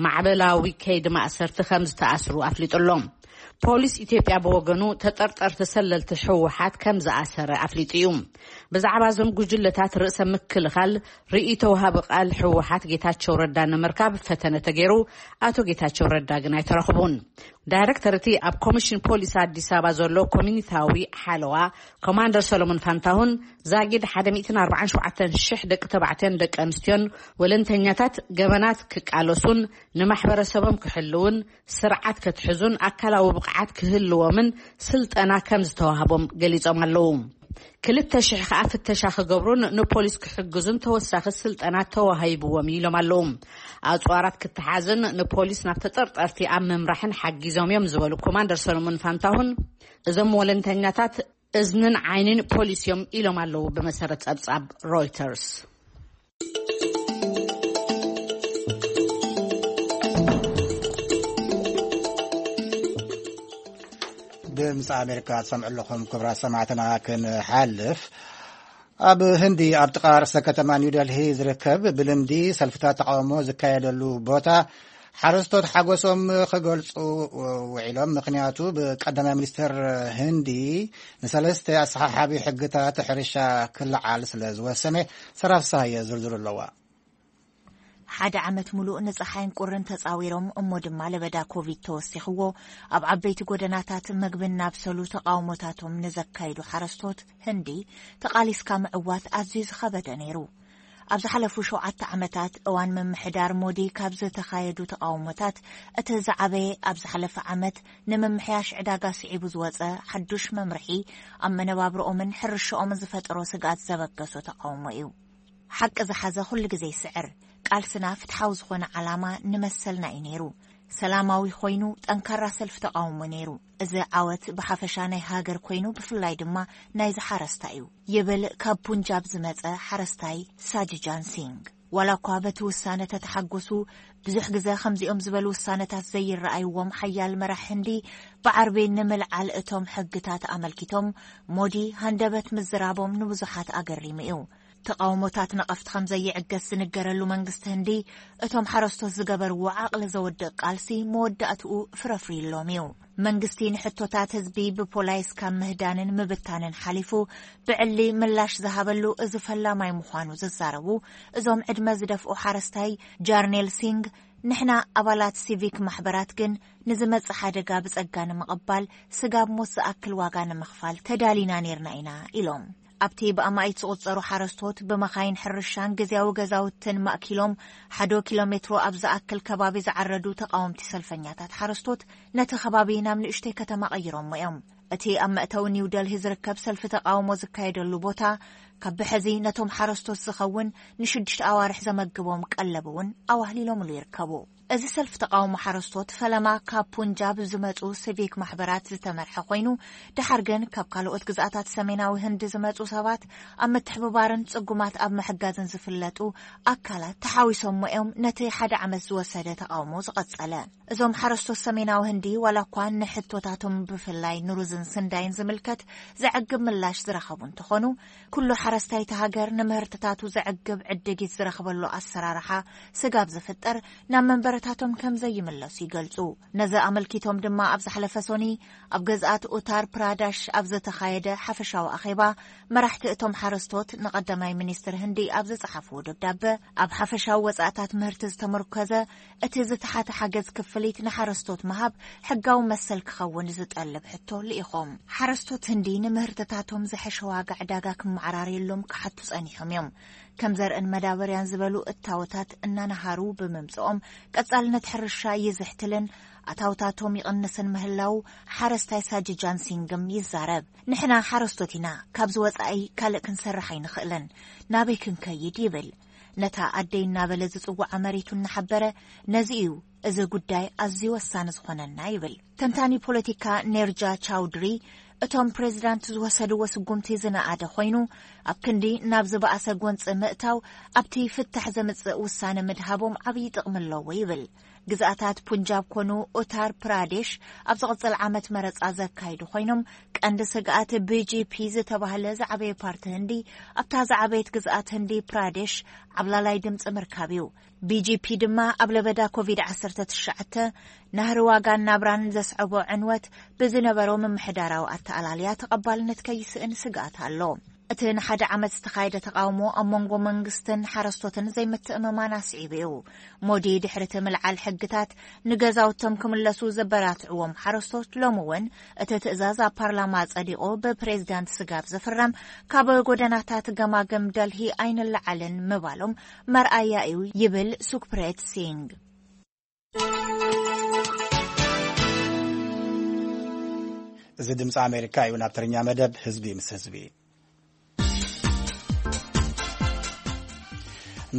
ማዕበላዊ ከይዲ ማእሰርቲ ከም ዝተኣስሩ ኣፍሊጡ ኣሎ። ፖሊስ ኢትዮጵያ ብወገኑ ተጠርጠርቲ ሰለልቲ ህወሓት ከም ዝኣሰረ ኣፍሊጡ እዩ። ብዛዕባ እዞም ጉጅለታት ርእሰ ምክልኻል ርእይቶ ወሃቢ ቃል ህወሓት ጌታቸው ረዳ ንምርካብ ፈተነ ተገይሩ ኣቶ ጌታቸው ረዳ ግን ኣይተረኽቡን። ዳይሬክተር እቲ ኣብ ኮሚሽን ፖሊስ ኣዲስ ኣበባ ዘሎ ኮሚኒታዊ ሓለዋ ኮማንደር ሰሎሞን ፋንታሁን ዛጊድ ሓደ ሚእትን ኣርባዓን ሸውዓተን ሽሕ ደቂ ተባዕትዮን ደቂ ኣንስትዮን ወለንተኛታት ገበናት ክቃለሱን ንማሕበረሰቦም ክሕልውን ስርዓት ከትሕዙን ኣካላዊ ብቕዓት ክህልዎምን ስልጠና ከም ዝተዋህቦም ገሊጾም ኣለዉ። ክልተ ሽሕ ከኣ ፍተሻ ክገብሩን ንፖሊስ ክሕግዙን ተወሳኺ ስልጠና ተዋሂብዎም ኢሎም ኣለዉ። ኣጽዋራት ክተሓዝን ንፖሊስ ናብ ተጠርጠርቲ ኣብ ምምራሕን ሓጊዞም እዮም ዝበሉ ኮማንደር ሰሎሞን ፋንታሁን፣ እዞም ወለንተኛታት እዝንን ዓይንን ፖሊስ እዮም ኢሎም ኣለዉ፣ ብመሰረት ጸብጻብ ሮይተርስ። ድምፂ ኣሜሪካ ትሰምዑ ኣለኹም። ክቡራት ሰማዕትና፣ ክንሓልፍ፣ ኣብ ህንዲ ኣብ ጥቓ ርእሰ ከተማ ኒው ደልሂ ዝርከብ ብልምዲ ሰልፍታት ተቃውሞ ዝካየደሉ ቦታ ሓረስቶት ሓጎሶም ክገልጹ ውዒሎም። ምኽንያቱ፣ ብቀዳማይ ሚኒስትር ህንዲ ንሰለስተ ኣሰሓሓቢ ሕግታት ሕርሻ ክለዓል ስለ ዝወሰነ። ሰራፍ ሳየ ዝርዝሩ ኣለዋ። ሓደ ዓመት ሙሉእ ንፀሓይን ቁርን ተፃዊሮም እሞ ድማ ለበዳ ኮቪድ ተወሲኽዎ ኣብ ዓበይቲ ጎደናታት ምግቢ እናብሰሉ ተቃውሞታቶም ንዘካይዱ ሓረስቶት ህንዲ፣ ተቃሊስካ ምዕዋት ኣዝዩ ዝኸበደ ነይሩ። ኣብ ዝሓለፉ ሸውዓተ ዓመታት እዋን ምምሕዳር ሞዲ ካብ ዝተኻየዱ ተቃውሞታት እቲ ዝዓበየ ኣብ ዝሓለፈ ዓመት ንምምሕያሽ ዕዳጋ ስዒቡ ዝወፀ ሓዱሽ መምርሒ ኣብ መነባብርኦምን ሕርሽኦምን ዝፈጠሮ ስግኣት ዘበገሶ ተቃውሞ እዩ። ሓቂ ዝሓዘ ኩሉ ግዜ ይስዕር። ቃልስና ፍትሓዊ ዝኾነ ዓላማ ንመሰልና እዩ ነይሩ። ሰላማዊ ኮይኑ ጠንካራ ሰልፊ ተቃውሞ ነይሩ። እዚ ዓወት ብሓፈሻ ናይ ሃገር ኮይኑ ብፍላይ ድማ ናይ ዝሓረስታ እዩ ይብል ካብ ፑንጃብ ዝመጸ ሓረስታይ ሳጅጃን ሲንግ። ዋላ እኳ በቲ ውሳነ ተተሓጎሱ፣ ብዙሕ ግዜ ከምዚኦም ዝበሉ ውሳነታት ዘይረኣይዎም ሓያል መራሕ ህንዲ ብዓርቢ ንምልዓል እቶም ሕግታት ኣመልኪቶም ሞዲ ሃንደበት ምዝራቦም ንብዙሓት ኣገሪሙ እዩ። ተቃውሞታት ነቐፍቲ ከም ዘይዕገስ ዝንገረሉ መንግስቲ ህንዲ፣ እቶም ሓረስቶት ዝገበርዎ ዓቕሊ ዘወድቕ ቃልሲ መወዳእትኡ ፍረፍርዩሎም እዩ። መንግስቲ ንሕቶታት ህዝቢ ብፖላይስ ካብ ምህዳንን ምብታንን ሓሊፉ ብዕሊ ምላሽ ዝሃበሉ እዚ ፈላማይ ምዃኑ ዝዛረቡ እዞም ዕድመ ዝደፍኡ ሓረስታይ ጃርኔል ሲንግ፣ ንሕና ኣባላት ሲቪክ ማሕበራት ግን ንዝመጽእ ሓደጋ ብጸጋ ንምቕባል ስጋብ ሞት ዝኣክል ዋጋ ንምኽፋል ተዳሊና ኔርና ኢና ኢሎም። ኣብቲ ብኣማኢት ዝቑጸሩ ሓረስቶት ብመኻይን ሕርሻን ግዝያዊ ገዛውትን ማእኪሎም ሓዶ ኪሎ ሜትሮ ኣብ ዝኣክል ከባቢ ዝዓረዱ ተቃወምቲ ሰልፈኛታት ሓረስቶት ነቲ ከባቢ ናብ ንእሽተይ ከተማ ቀይሮሞ እዮም። እቲ ኣብ መእተዊ ኒው ደልሂ ዝርከብ ሰልፊ ተቃውሞ ዝካየደሉ ቦታ ካብ ብሐዚ ነቶም ሓረስቶት ዝኸውን ንሽዱሽተ ኣዋርሕ ዘመግቦም ቀለብ እውን ኣዋህሊሎምሉ ይርከቡ። እዚ ሰልፊ ተቓውሞ ሓረስቶት ፈለማ ካብ ፑንጃብ ዝመጹ ሲቪክ ማሕበራት ዝተመርሐ ኮይኑ፣ ድሓር ግን ካብ ካልኦት ግዝኣታት ሰሜናዊ ህንዲ ዝመጹ ሰባት ኣብ ምትሕብባርን ጽጉማት ኣብ ምሕጋዝን ዝፍለጡ ኣካላት ተሓዊሶሞ እዮም ነቲ ሓደ ዓመት ዝወሰደ ተቓውሞ ዝቐጸለ። እዞም ሓረስቶት ሰሜናዊ ህንዲ ዋላ እኳ ንሕቶታቶም ብፍላይ ንሩዝን ስንዳይን ዝምልከት ዘዕግብ ምላሽ ዝረኸቡ እንተኾኑ፣ ኩሉ ሓረስታይ እቲ ሃገር ንምህርትታቱ ዘዕግብ ዕድጊት ዝረኽበሉ ኣሰራርሓ ስጋብ ዝፍጠር ናብ መንበረታቶም ከም ዘይምለሱ ይገልጹ። ነዚ ኣመልኪቶም ድማ ኣብ ዝሓለፈ ሶኒ ኣብ ገዝኣት ኡታር ፕራዳሽ ኣብ ዝተኻየደ ሓፈሻዊ ኣኼባ መራሕቲ እቶም ሓረስቶት ንቐዳማይ ሚኒስትር ህንዲ ኣብ ዝጸሓፍዎ ደብዳበ ኣብ ሓፈሻዊ ወጻእታት ምህርቲ ዝተመርኮዘ እቲ ዝተሓተ ሓገዝ ክፍሊት ንሓረስቶት ምሃብ ሕጋዊ መሰል ክኸውን ዝጠልብ ሕቶ ልኢኾም። ሓረስቶት ህንዲ ንምህርትታቶም ዝሐሸ ዋጋ ዕዳጋ ክመዓራርየሎም ክሓቱ ጸኒሖም እዮም። ከም ዘርእን መዳበርያን ዝበሉ እታወታት እናነሃሩ ብምምጽኦም ቀጻልነት ሕርሻ ይዝሕትልን ኣታውታቶም ይቕንስን ምህላው ሓረስታይ ሳጂ ጃንሲንግም ይዛረብ። ንሕና ሓረስቶት ኢና፣ ካብዚ ወጻኢ ካልእ ክንሰርሕ ኣይንኽእልን፣ ናበይ ክንከይድ ይብል። ነታ ኣደይ እናበለ ዝጽውዓ መሬቱ እናሓበረ፣ ነዚ እዩ እዚ ጉዳይ ኣዝዩ ወሳኒ ዝኾነና ይብል። ተንታኒ ፖለቲካ ኔርጃ ቻውድሪ፣ እቶም ፕሬዚዳንት ዝወሰድዎ ስጉምቲ ዝነኣደ ኮይኑ፣ ኣብ ክንዲ ናብ ዝበኣሰ ጎንፂ ምእታው ኣብቲ ፍታሕ ዘምፅእ ውሳነ ምድሃቦም ዓብዪ ጥቕሚ ኣለዎ ይብል። ግዝኣታት ፑንጃብ ኮኑ ኡታር ፕራዴሽ ኣብ ዝቕጽል ዓመት መረጻ ዘካይዱ ኮይኖም፣ ቀንዲ ስግኣት ቢ ጂ ፒ ዝተባህለ ዝዓበየ ፓርቲ ህንዲ ኣብታ ዝዓበየት ግዝኣት ህንዲ ፕራዴሽ ዓብላላይ ድምጺ ምርካብ እዩ። ቢ ጂ ፒ ድማ ኣብ ለበዳ ኮቪድ ዓሰርተ ትሽዓተ ናህሪ ዋጋን ናብራን ዘስዐቦ ዕንወት ብዝነበሮ ምምሕዳራዊ ኣተኣላልያ ተቐባልነት ከይስእን ስግኣት ኣሎ። እቲ ንሓደ ዓመት ዝተኻየደ ተቓውሞ ኣብ መንጎ መንግስትን ሓረስቶትን ዘይምትእምማን ኣስዒቡ እዩ። ሞዲ ድሕሪ እቲ ምልዓል ሕግታት ንገዛውቶም ክምለሱ ዘበራትዕዎም ሓረስቶት፣ ሎሚ እውን እቲ ትእዛዝ ኣብ ፓርላማ ጸዲቑ ብፕሬዚዳንት ስጋብ ዝፍረም፣ ካብ ጎደናታት ገማግም ደልሂ ኣይንለዓልን ምባሎም መርኣያ እዩ ይብል ሱክፕሬት ሲንግ። እዚ ድምፂ ኣሜሪካ እዩ። ናብ ትርኛ መደብ ህዝቢ ምስ ህዝቢ።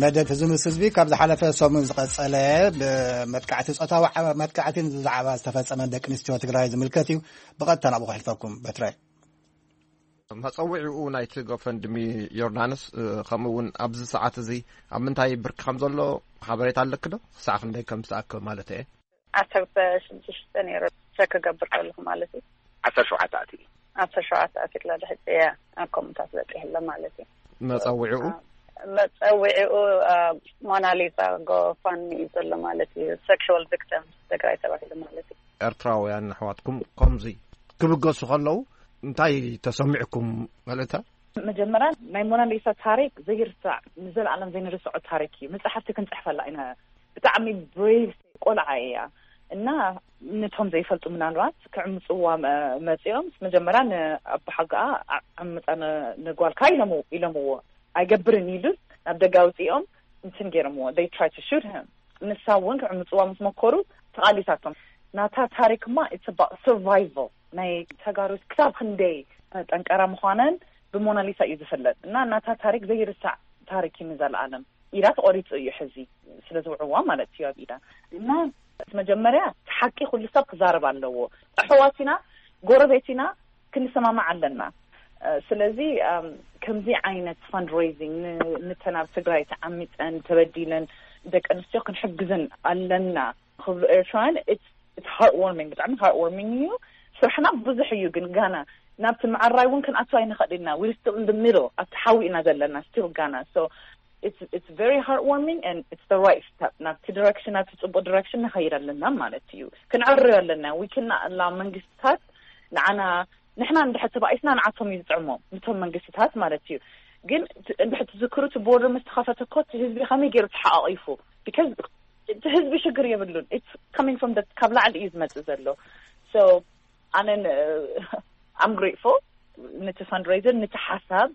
መደብ ህዝቢ ምስ ህዝቢ ካብ ዝሓለፈ ሰሙን ዝቐጸለ ብመጥቃዕቲ፣ ጾታዊ ዓ-፣ መጥቃዕቲ ብዛዕባ ዝተፈጸመ ደቂ ኣንስትዮ ትግራይ ዝምልከት እዩ። ብቐጥታ ናብኡ ከሕልፈኩም። በትራይ። መጸውዒኡ ናይቲ ጎፈንድሚ ዮርዳኖስ፣ እ፣ ከምኡ እውን ኣብዚ ሰዓት እዚ ኣብ ምንታይ ብርኪ ከም ዘሎ ሓበሬታ ኣለኪ ዶ? ክሳዕ ክንደይ ከም ዝተኣከበ ማለት እየ። ዓሰርተ ሽዱሽተ ነይሩ፣ ቸክ ክገብር ከለኹ ማለት እዩ። ዓሰርተ ሸውዓተ ኣትዩ። ዓሰርተ ሸውዓተ ኣትዩ ኣሎ፣ ድሕሪ እያ ኣብ ኮምታት በፂሑ ኣሎ ማለት እዩ። መጸውዒኡ? አ፣ መጸውዒኡ፣ አ፣ ሞናሊዛ ጎፋንሚ እዩ ዘሎ ማለት እዩ። ሴክሹዋል ቪክቲምስ ትግራይ ተባሂሉ ማለት እዩ። ኤርትራውያን ኣሕዋትኩም ከምዚ ክብገሱ ከለዉ እንታይ ተሰሚዕኩም? መልእታ? መጀመርያ ናይ ሞናሊሳ ታሪክ ዘይርሳዕ፣ ንዘለኣለም ዘይንርስዖ ታሪክ እዩ። መጽሓፍቲ ክንጽሕፈላ ኢና። ብጣዕሚ ብሬቭ ቆልዓ እያ እና ነቶም ዘይፈልጡ ምናልባት ክዕምጽዋ መ-፣ መጺኦም፣ መጀመርያ ንኣቦሓጎኣ ዓ-፣ ዓምጻ ን-፣ ንጓልካ ኢሎምዎ፣ ኢሎምዎ። ኣይገብርን ኢሉ ናብ ደገ ኣውጺኦም እንትን ገይሮምዎ። They try to shoot him። ንሳ እውን ክዕምጽዋ ምስ መኮሩ ተቓሊሳቶም። ናታ ታሪክ እማ it's about survival ናይ ተጋሩ ክሳብ ክንደይ ጠንቀራ ምዃነን ብሞናሊሳ እዩ ዝፍለጥ። እና ናታ ታሪክ ዘይርሳዕ ታሪክ እዩ ንዘለኣለም። ኢዳ ተቖሪጹ እዩ ሕዚ ስለ ዝውዕዋ ማለት እዩ ኣብ ኢዳ። እና መጀመርያ እቲ ሓቂ ኩሉ ሰብ ክዛረብ ኣለዎ። ኣሕዋት ኢና፣ ጎረቤት ኢና፣ ክንሰማማዕ ኣለና። እ፣ ስለዚ፣ እም፣ ከምዚ ዓይነት fundraising ን-፣ ንተን ኣብ ትግራይ ተዓሚፀን ተበዲለን ደቂ ኣንስትዮ ክንሕግዘን ኣለና ክብሉ ኤርትራውያን፣ it's፣ it's heartwarming፣ ብጣዕሚ heartwarming እዩ። ስራሕና ብዙሕ እዩ፣ ግን ጋና ናብቲ ምዕራይ እውን ክንኣቱ ኣይንኽእል ኢና። We're still in the middle፣ ኣብቲ ሓዊ ኢና ዘለና፣ still ጋና። So it's, it's very heartwarming and it's the right step። ናብቲ direction፣ ናብቲ ጽቡቅ direction ንኸይድ ኣለና ማለት እዩ። ክንዕርዮ ኣለና። We cannot allow መንግስትታት ንዓና፣ ንሕና እንድሕር ተባኢስና ንዓቶም እዩ ዝጥዕሞም፣ ንቶም መንግስትታት ማለት እዩ። ግን ት-፣ እንድሕር ትዝክሩ እቲ ቦርደር ምስ ተኸፈተ እኮ እቲ ህዝቢ ከመይ ገይሩ ተሓቋቒፉ? Because እቲ ህዝቢ ሽግር የብሉን። It's coming from the፣ ካብ ላዕሊ እዩ ዝመጽእ ዘሎ። So ኣነ ን-፣ I'm grateful ነቲ fundraiser፣ ነቲ ሓሳብ፣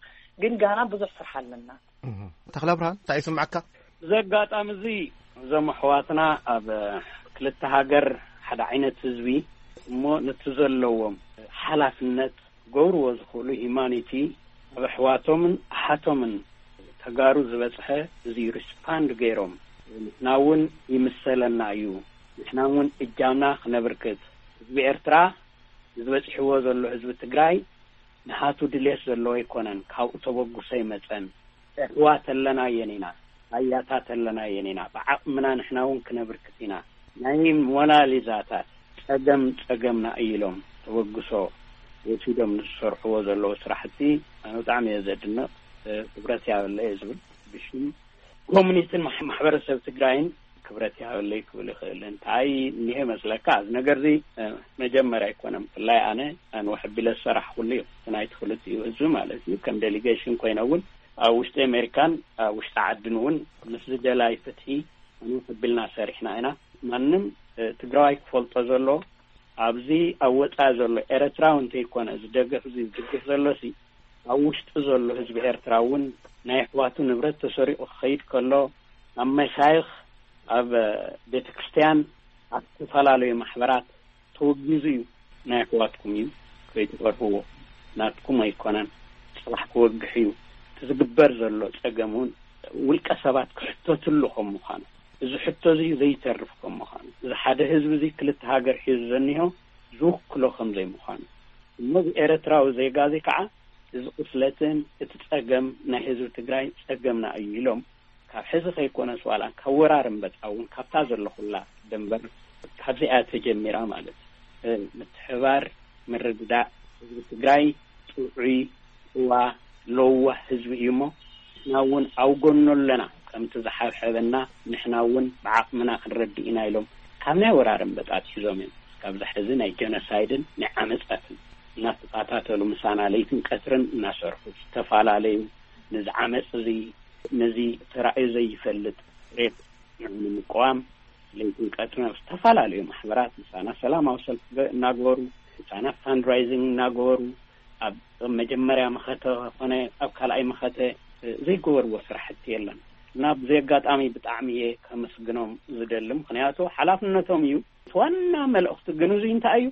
ግን ጋና ብዙሕ ስራሕ ኣለና። እህ። ተኽለ ብርሃን፣ እንታይ ይስምዓካ? እዚ ኣጋጣሚ እዚ እዞም ኣሕዋትና ኣብ ክልተ ሃገር ሓደ ዓይነት ህዝቢ እሞ ነቲ ዘለዎም ሓላፍነት ክገብርዎ ዝኽእሉ ሂማኒቲ ኣብ ኣሕዋቶምን ኣሓቶምን ተጋሩ ዝበጽሐ እዚ ሪስፓንድ ገይሮም ንሕና እውን ይምሰለና እዩ። ንሕና እውን እጃምና ክነብርክት። ህዝቢ ኤርትራ፣ እዚ በጺሕዎ ዘሎ ህዝቢ ትግራይ፣ ንሃቱ ድሌት ዘለዎ ኣይኮነን፣ ካብኡ ተበግሶ ኣይመጸን። ኣሕዋት ኣለና የን ኢና፣ ኣያታት ኣለና የን ኢና፣ ብዓቕምና ንሕና እውን ክነብርክት ኢና። ናይ ሞናሊዛታት ጸገም ጸገምና እዩ ኢሎም ተበግሶ ወሲዶም ንዝሰርሕዎ ዘለዉ ስራሕቲ ኣነ ብጣዕሚ እየ ዘድንቕ። ክብረት ያበለ እየ ዝብል። ብሽም ኮሚኒቲን ማሕ-፣ ማሕበረሰብ ትግራይን ክብረት ያበለይ ክብል ይኽእል። እንታይ እኒሀ መስለካ? እዚ ነገርዚ መጀመርያ ኣይኮነን። ብፍላይ ኣነ ኣንውሕ ቢለ ዝሰራሕኩሉ እዩ። እቲ ናይ ትኽልቲኡ ህዝቢ ማለት እዩ። ከም ዴሊጌሽን ኮይነ እውን ኣብ ውሽጢ ኣሜሪካን ኣብ ውሽጢ ዓድን እውን ምስዚ ደላይ ፍትሒ ኣንውሕ ቢልና ሰሪሕና ኢና። ማንም ትግራዋይ ክፈልጦ ዘሎ፣ ኣብዚ ኣብ ወፃኢ ዘሎ ኤረትራዊ እንተይኮነ ዝደገፍ፣ እዚ ዝድግፍ ዘሎሲ ኣብ ውሽጢ ዘሎ ህዝቢ ኤርትራ እውን ናይ ኣሕዋቱ ንብረት ተሰሪቑ ክኸይድ ከሎ፣ ኣብ መሻይኽ፣ ኣብ ቤተ ክርስቲያን፣ ኣብ ዝተፈላለዩ ማሕበራት ተወጊዙ እዩ። ናይ ኣሕዋትኩም እዩ፣ ከይትፈርህዎ። ናትኩም ኣይኮነን፣ ፅባሕ ክወግሕ እዩ። እቲ ዝግበር ዘሎ ፀገም እውን ውልቀ ሰባት ክሕተትሉ ከም ምዃኑ፣ እዚ ሕቶ እዚ ዘይተርፍ ከም ምዃኑ፣ እዚ ሓደ ህዝቢ እዚ ክልተ ሃገር ሒዙ ዘኒሆ ዝውክሎ ከም ዘይምዃኑ፣ እሞ እዚ ኤረትራዊ ዜጋ እዚ ከዓ እዚ ቁስለትን እቲ ጸገም ናይ ህዝቢ ትግራይ ጸገምና እዩ ኢሎም ካብ ሕዚ ከይኮነስ ዋላ ካብ ወራር እምበጣ እውን ካብታ ዘለኹላ ደንበር ካብዚኣ ተጀሚራ ማለት እዩ። ምትሕባር፣ ምርድዳእ፣ ህዝቢ ትግራይ ጥዑይ፣ ጭዋ፣ ለዋህ ህዝቢ እዩ እሞ ንሕና እውን ኣብ ጎኑ ኣለና፣ ከምቲ ዝሓብሐበና ንሕና እውን ብዓቕምና ክንረድእ ኢና ኢሎም ካብ ናይ ወራር እምበጣ ኣትሒዞም እዮም። ካብዚ ሕዚ ናይ ጀኖሳይድን ናይ ዓመጻትን እናተኸታተሉ ምሳና ለይትን ቀትርን እናሰርሑ ዝተፈላለዩ ነዚ ዓመጽ እዚ፣ ነዚ ተራእዩ ዘይፈልጥ ሬፕ ንምቅዋም ለይትን ቀትርን ኣብ ዝተፈላለዩ ማሕበራት ምሳና ሰላማዊ ሰልፊ እናገበሩ፣ ህፃናት ፋንድራይዚንግ እናገበሩ፣ ኣብ መጀመርያ መኸተ ኮነ ኣብ ካልኣይ መኸተ ዘይገበርዎ ስራሕቲ የለን። እና ብዚ ኣጋጣሚ ብጣዕሚ እየ ከመስግኖም ዝደሊ፣ ምኽንያቱ ሓላፍነቶም እዩ። እቲ ዋና መልእኽቲ ግን እዚ እንታይ እዩ?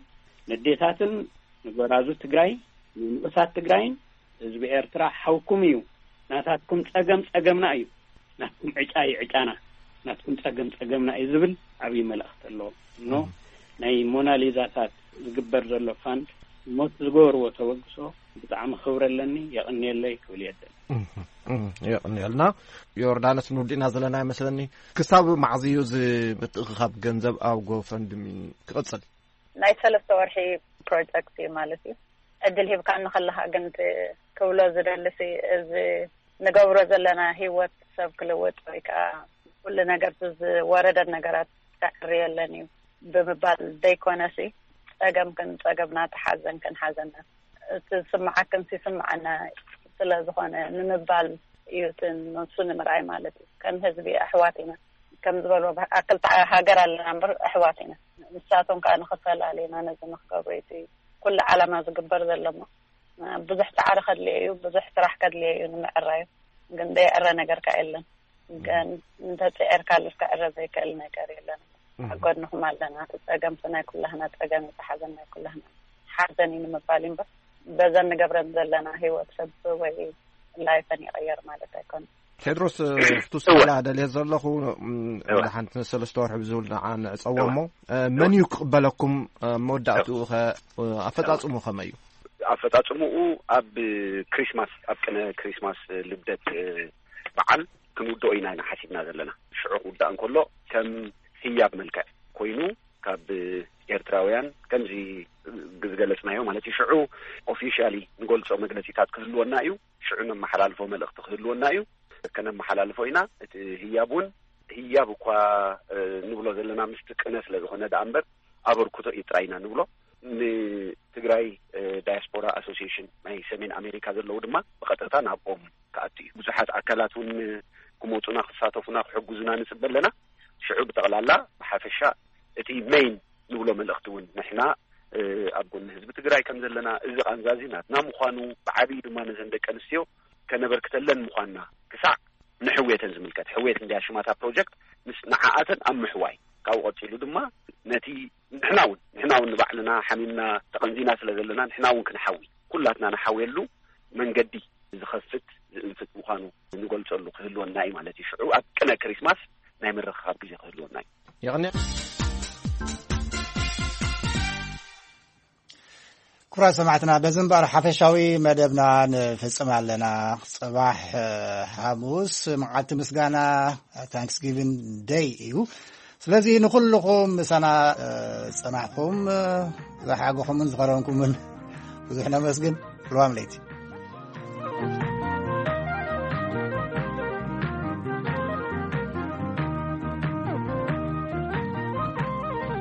ንዴታትን ንጎራዙ ትግራይ፣ ንንኡሳት ትግራይን ህዝቢ ኤርትራ ሓውኩም እዩ። ናታትኩም ጸገም ጸገምና እዩ። ናትኩም ዕጫ እዩ ዕጫና። ናትኩም ጸገም ጸገምና እዩ ዝብል ዓብዪ መልእኽቲ ኣለዎ። እኖ ናይ ሞናሊዛታት ዝግበር ዘሎ ፋንድ ሞት ዝገበርዎ ተበግሶ ብጣዕሚ ክብሪ ኣለኒ። የቕንየለይ ክብል እየ ደሊ። እህ፣ እህ፣ የቕንየልና። ዮርዳኖስ ንውዲእና ዘለና ይመስለኒ። ክሳብ መዓዝ እዩ እዚ ምትእኽኻብ ገንዘብ ኣብ ጎፈንድሚ ክቕጽል? ናይ ሰለስተ ወርሒ ፕሮጀክት እዩ ማለት እዩ። ዕድል ሂብካኒ ከለኻ ግን እቲ ክብሎ ዝደልሲ እዚ ንገብሮ ዘለና ህይወት ሰብ ክልውጥ ወይ ከዓ ኩሉ ነገር ዝወረደን ነገራት ከዕርየለን እዩ ብምባል ዘይኮነሲ ጸገምክን ጸገምና ተሓዘንክን ሓዘና እቲ ዝስምዓክን ይስምዓና ስለ ዝኾነ ንምባል እዩ እቲ ንሱ ንምርኣይ ማለት እዩ። ከም ህዝቢ ኣሕዋት ኢና ከም ዝበልዎ ክልተ ሃገር ኣለና እምበር ኣሕዋት ኢና። ንሳቶም ከዓ ንኽፈላለዩና ነዚ ንክገብሩ እቲ ኩሉ ዓላማ ዝግበር ዘሎ እሞ ብዙሕ ፃዕሪ ከድልዮ እዩ፣ ብዙሕ ስራሕ ከድልዮ እዩ ንምዕራዩ። ግን ዘይዕረ ነገር ከዓ የለን። ግን እንተፅዒርካ ልክዕረ ዘይክእል ነገር የለን። ኣብ ጎድንኹም ኣለና። እቲ ፀገም ናይ ኩላህና ፀገም፣ እቲ ሓዘን ናይ ኩላህና ሓዘን እዩ ንምባል እዩ እምበር በዘን ንገብረን ዘለና ህይወት ሰብ ወይ ላይፈን ይቐየር ማለት ኣይኮነን። ቴድሮስ፣ ፍቱስ እወ። ክብላ ደልየ ዘለኹ፣ እም፣ እወ። ወደ ሓንቲ ሰለስተ ወርሒ ብዝብል ንዓ ንዕጸዎ እወ። እሞ፣ እ፣ መን እዩ ክቕበለኩም፣ እ፣ መወዳእትኡ ኸ፣ እ፣ ኣፈጻጽሙ ከመይ እዩ? ኣፈጻጽምኡ ኣብ ክሪስማስ፣ ኣብ ቅነ ክሪስማስ፣ እ፣ ልደት፣ እ፣ በዓል ክንውድኦ ኢና፣ ኢና ሓሲብና ዘለና። ሽዑ ክውዳእ እንከሎ ከም ህያብ መልክዕ ኮይኑ ካብ ኤርትራውያን ከምዚ ዝገለጽናዮ ማለት እዩ። ሽዑ ኦፊሻሊ ንገልጾ መግለጺታት ክህልወና እዩ። ሽዑ ነመሓላልፎ መልእኽቲ ክህልወና እዩ። ከነመሓላልፎ ኢና። እቲ ህያብ እውን ህያብ እኳ፣ እ፣ ንብሎ ዘለና ምስቲ ቅነ ስለ ዝኾነ ደኣ እምበር ኣበርክቶ እዩ ጥራይ ኢና ንብሎ። ንትግራይ፣ እ፣ ዳያስፖራ ኣሶሲዬሽን ናይ ሰሜን ኣሜሪካ ዘለዉ ድማ ብቐጥታ ናብኦም ክኣቱ እዩ። ብዙሓት ኣካላት እውን ክመፁና፣ ክሳተፉና፣ ክሕግዙና ንፅበ ኣለና። ሽዑ ብጠቕላላ ብሓፈሻ እቲ ሜይን ንብሎ መልእኽቲ እውን ንሕና፣ እ፣ ኣብ ጎኒ ህዝቢ ትግራይ ከም ዘለና፣ እዚ ቃንዛ እዚ ናትና ምዃኑ፣ ብዓብዪ ድማ ነዘን ደቂ ኣንስትዮ ከነበርክተለን ምዃንና ክሳዕ ንሕውየተን ዝምልከት፣ ሕውየት እንድያ ሽማታ ፕሮጀክት፣ ምስ ንዓኣተን ኣብ ምሕዋይ፣ ካብኡ ቀፂሉ ድማ ነቲ ንሕና እውን፣ ንሕና እውን ንባዕልና ሓሚምና ተቐንዚና ስለ ዘለና፣ ንሕና እውን ክንሓዊ፣ ኩላትና ንሓውየሉ መንገዲ ዝኸፍት ዝእንፍት ምዃኑ ንገልጸሉ ክህልወና እዩ ማለት እዩ። ሽዑ ኣብ ቅነ ክሪስማስ ናይ ምርኻብ ግዜ ክህልወና እዩ። የቕኒ ክቡራት ሰማዕትና፣ በዚ እምበኣር ሓፈሻዊ መደብና ንፍጽም ኣለና። ጽባሕ ሓሙስ መዓልቲ ምስጋና፣ ታንክስጊቪን ደይ እዩ። ስለዚ ንኹልኹም ምሳና ጸናሕኩም፣ ዝሓገኹምን ዝኸረምኩምን ብዙሕ ነመስግን። ልዋም ለይቲ።